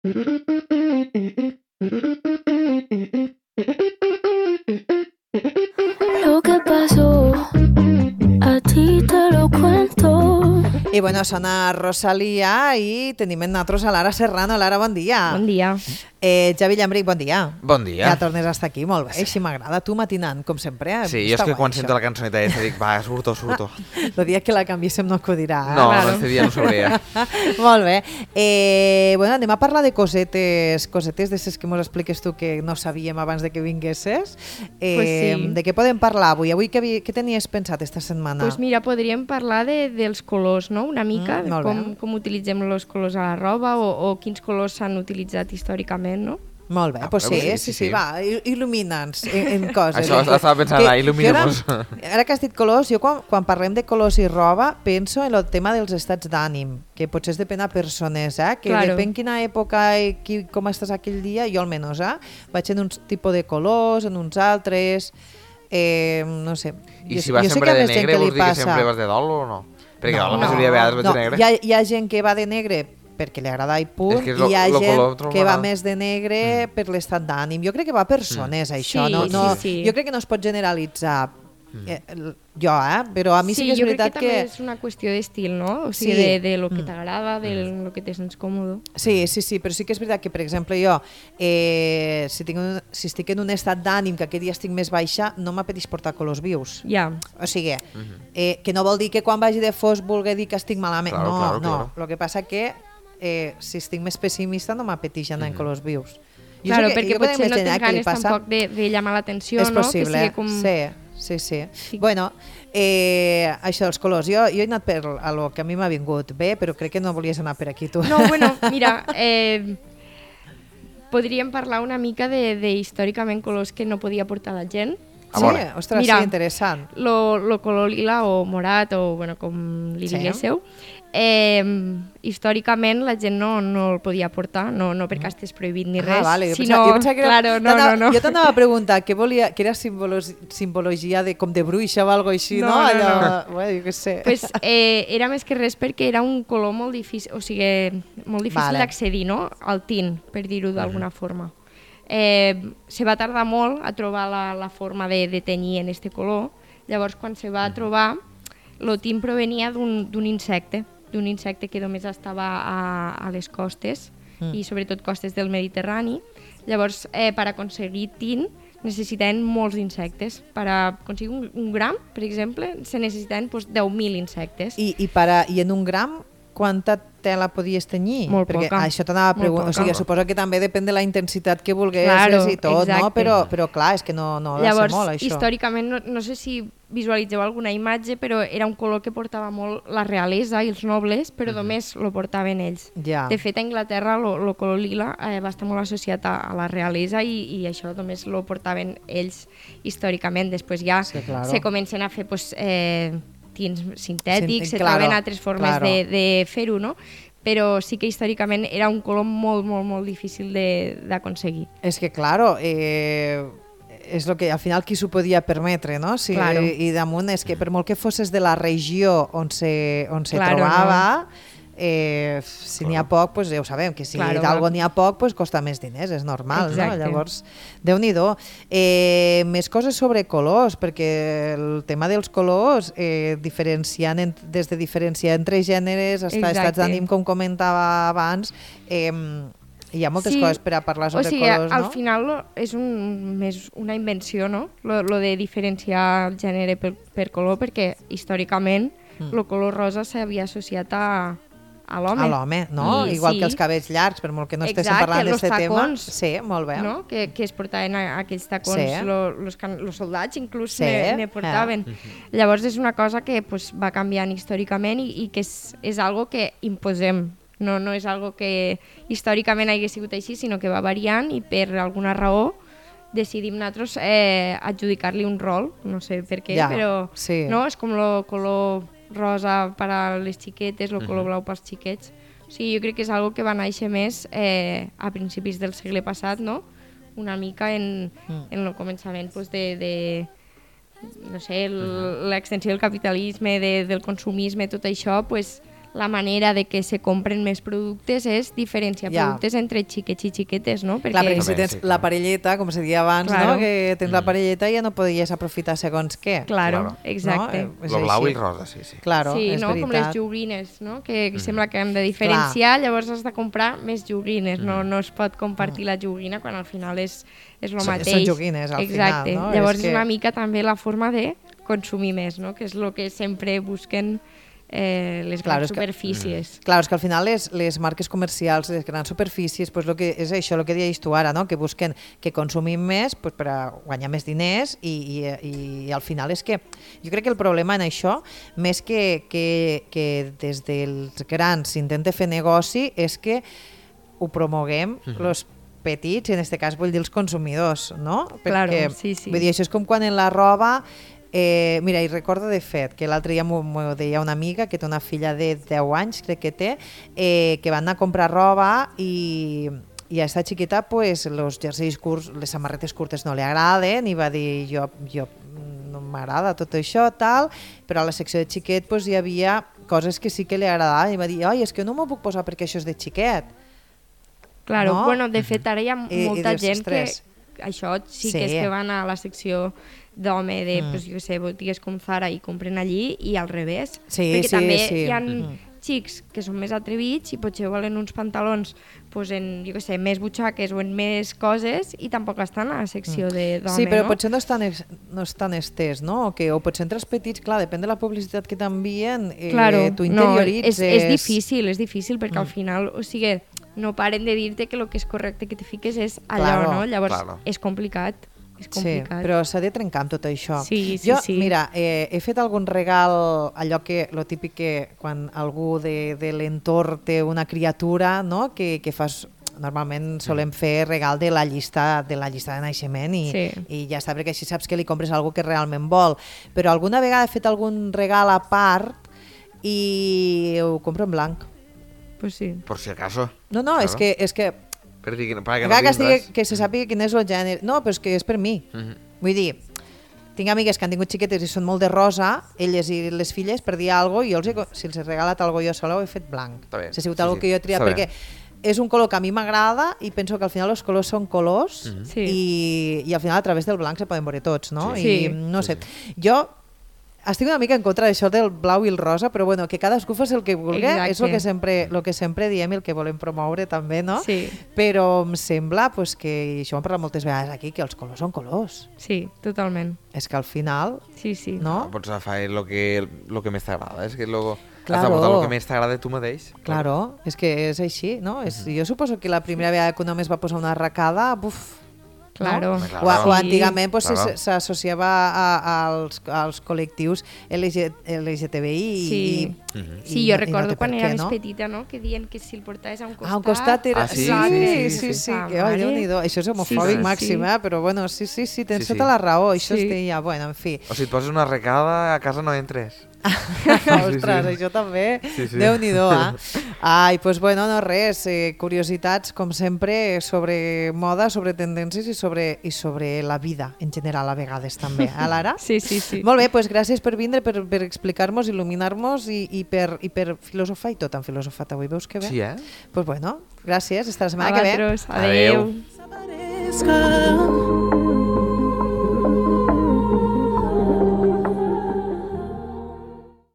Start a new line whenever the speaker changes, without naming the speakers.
Lo que pasó, a ti te lo cuento.
I bueno, sona Rosalia i tenim en nosaltres a Lara Serrano. Lara, bon dia.
Bon dia.
Javi Llambric, bon dia.
Bon dia.
Ja tornes a estar aquí, molt bé. Així m'agrada, tu matinant, com sempre.
Sí, jo és que quan sento la cançoneta aquesta dic, va, surto.
El dia que la canviéssim no acudirà.
No, este dia no sabria.
Molt bé. Bueno, anem a parlar de cosetes de ses que mos expliques tu que no sabíem abans de que vinguessis.
Pues sí.
De què podem parlar avui? Avui què tenies pensat esta setmana?
Pues mira, podríem parlar dels colors, no? Una mica, com utilitzem els colors a la roba o quins colors s'han utilitzat històricament, no?
Molt bé, pues sí, va, il·lumina'ns en coses.
Això estava pensant, il·lumina-nos.
Ara que has dit colors, jo quan parlem de colors i roba penso en el tema dels estats d'ànim, que potser depèn a persones, que
claro.
Depèn quina època i com estàs aquell dia, jo almenys, vaig en un tipus de colors, en uns altres, no sé.
I si vas sempre de negre, vols dir que sempre vas de dol o no? Perquè la majoria de vegades vaig de negre.
Hi ha gent que va de negre perquè li agrada i punt, i hi ha gent que va més de negre per l'estat d'ànim. Jo crec que va per persones, això.
Sí.
Jo crec que no es pot generalitzar. Jo, però a mi sí que és veritat que...
Jo crec que també és una qüestió d'estil, no? O sigui, de lo que t'agrada, de lo que te sents còmode.
Sí, però sí que és veritat que, per exemple, jo, si estic en un estat d'ànim que aquest dia estic més baixa, no m'apeteix portar colors vius.
Ja.
O sigui, que no vol dir que quan vagi de fosc vulgui dir que estic malament. No. El que passa que si estic més pessimista no m'apeteix anar en colors vius.
Claro, perquè potser no tens ganes tampoc de llamar l'atenció, no?
És possible, sí. Bueno, això dels colors, jo he anat per a lo que a mi m'ha vingut bé, però crec que no volies anar per aquí tu.
No, bueno, mira, podríem parlar una mica de històricament colors que no podia portar la gent.
Sí, ostres, mira, sí, interessant.
Lo color lila o morat, o bueno, com li diguéssiu, històricament la gent no el podia portar, no perquè estigués prohibit ni res.
Vale. Jo pensava que
era, no.
Jo t'anava a preguntar que era simbologia com de bruixa o alguna cosa així, no? Bueno, jo què sé.
Pues, era més que res perquè era un color molt difícil, o sigui, molt difícil d'accedir, no? Al tint, per dir-ho d'alguna forma. Se va tardar molt a trobar la forma de tenyir en este color. Llavors, quan se va trobar, el tint provenia d'un insecte que només estava a les costes i sobretot costes del Mediterrani. Llavors, per aconseguir tint necessitaven molts insectes. Per aconseguir un gram, per exemple, se necessitaven 10.000 insectes.
I en un gram quanta tela podies tenyir?
Molt
perquè
poca.
Això t'anava a preguntar, o sigui, suposo que també depèn de la intensitat que vulguessis i tot,
exacte.
No? Però clar, és que no ha de ser molt, això.
Històricament, no sé si visualitzeu alguna imatge, però era un color que portava molt la realesa i els nobles, però només lo portaven ells.
Ja.
De fet, a Anglaterra el color lila va estar molt associat a la realesa i això només lo portaven ells històricament. Després ja se comencen a fer tints sintètics, se troben altres formes de fer-ho, no? Però sí que històricament era un color molt, molt, molt difícil d'aconseguir.
És que, claro, és el que al final qui s'ho podia permetre, no? Sí,
claro.
I damunt és que per molt que fosses de la regió on se trobava, si n'hi ha poc, pues ja ho sabem, que si d'algo n'hi ha poc, pues costa més diners, és normal, no? Llavors, Déu-n'hi-do. Més coses sobre colors, perquè el tema dels colors, des de diferenciar entre gèneres, estats d'ànim, com comentava abans, hi ha moltes coses per a parlar sobre colors, no?
Al final és més una invenció, no? Lo de diferenciar el gènere per color, perquè històricament el color rosa s'havia associat a l'home.
A l'home, no? Igual que els cabells llargs, per molt que no estiguem parlant d'aquest tema. Sí, molt bé.
No? Que es portaven aquells tacons, els soldats inclús ne portaven. Llavors és una cosa que va canviant històricament i que és algo que imposem. No és algo que històricament hagi sigut així, sinó que va variant i per alguna raó decidim nosaltres adjudicar-li un rol, no sé per què, però no? És com el color rosa per a les xiquetes, el color blau pels xiquets. O sigui, jo crec que és algo que va néixer més a principis del segle passat, no? Una mica en el començament de no sé, l'extensió del capitalisme, del consumisme, tot això, la manera de que se compren més productes és diferenciar productes entre xiquets i xiquetes, no?
Perquè si tens la parelleta, com se deia abans, no? Que tens la parelleta i ja no podies aprofitar segons què.
Claro, exacte.
Lo blau i rosa, sí.
Claro, és veritat.
Com les joguines, no? Que sembla que hem de diferenciar, llavors has de comprar més joguines, no es pot compartir la joguina quan al final és el mateix.
Són joguines al final, no?
Llavors és una mica també la forma de consumir més, no? Que és el que sempre busquen les grans superfícies.
Clar, és que al final les marques comercials, les grans superfícies, pues és això, el que deies tu ara, no? Que busquen que consumim més pues, per a guanyar més diners i al final és que jo crec que el problema en això, més que des dels grans s'intenta fer negoci, és que ho promoguem els petits, i en aquest cas vull dir els consumidors, no? Perquè, vull dir, això és com quan en la roba mira, i recordo de fet que l'altre dia m'ho deia una amiga que té una filla de 10 anys, crec que té, que van anar a comprar roba i a esta xiqueta pues, los jerseis curts, les samarretes curtes no li agraden i va dir jo no m'agrada tot això, tal, però a la secció de xiquet pues, hi havia coses que sí que li agradaven i va dir, és que no m'ho puc posar perquè això és de xiquet.
Claro, no? Bueno, de fet ara hi ha molta gent que això sí que és que van a la secció d'home de, pues, jo sé, botigues com Zara i compren allí i al revés. Perquè també hi ha xics que són més atrevits i potser volen uns pantalons pues, en, jo què sé, més butxaques o en més coses i tampoc estan a la secció d'home,
sí, però potser no estan estès, no? O potser entre els petits, clar, depèn de la publicitat que t'envien, tu interioritzes...
És difícil perquè al final, o sigui, no paren de dir-te que el que és correcte que te fiques és allò, no? Llavors és complicat.
Sí, però s'ha de trencar amb tot això.
Sí.
Mira, he fet algun regal, allò que, lo típic que quan algú de l'entorn té una criatura, no? que fas, normalment solem fer regal de la llista de naixement i ja està, perquè així saps que li compres algú que realment vol. Però alguna vegada he fet algun regal a part i ho compro en blanc.
Pues sí.
Por si acaso.
No, claro. és que
per dir que
se sàpiga quin és el gènere. No, però és que és per mi. Vull dir, tinc amigues que han tingut xiquetes i són molt de rosa, elles i les filles, per dir alguna cosa, si els he regalat alguna cosa jo sola ho he fet blanc. Si ha sigut alguna que jo he triat, perquè és un color que a mi m'agrada i penso que al final els colors són colors i al final a través del blanc se poden veure tots, no? I no sé, jo estic una mica en contra d'això del blau i el rosa, però bueno, que cadascú faci el que vulgui, és el que sempre diem i el que volem promoure també, no?
Sí.
Però em sembla pues, que, i això ho hem parlat moltes vegades aquí, que els colors són colors.
Sí, totalment.
És que al final...
Sí.
No?
Pots agafar el que més t'agrada, és que has de votar el que més t'agrada tu mateix.
Claro, és que és així, no? Jo suposo que la primera vegada que un home es va posar una arracada,
Claro.
No? O antigament pues, s'associava als col·lectius LGTBI.
Sí, jo recordo quan era més petita, no? Que diuen que si el portaves a un costat...
A un costat era... Sí, que Déu-n'hi-do. Això és homofòbic màxim, però bueno, sí, tens tota la raó. Això es deia, bueno, en fi.
O si et poses una arracada, a casa no entres.
Ostres, això també, Déu-n'hi-do, Ai, doncs bueno, no res, curiositats com sempre sobre moda, sobre tendències i sobre la vida en general a vegades també, Lara?
Sí.
Molt bé, doncs gràcies per vindre, per explicar-nos, il·luminar-nos i per filosofar i tot han filosofat avui, veus que bé?
Sí,
Doncs bueno, gràcies, fins la setmana que ve.
Adéu.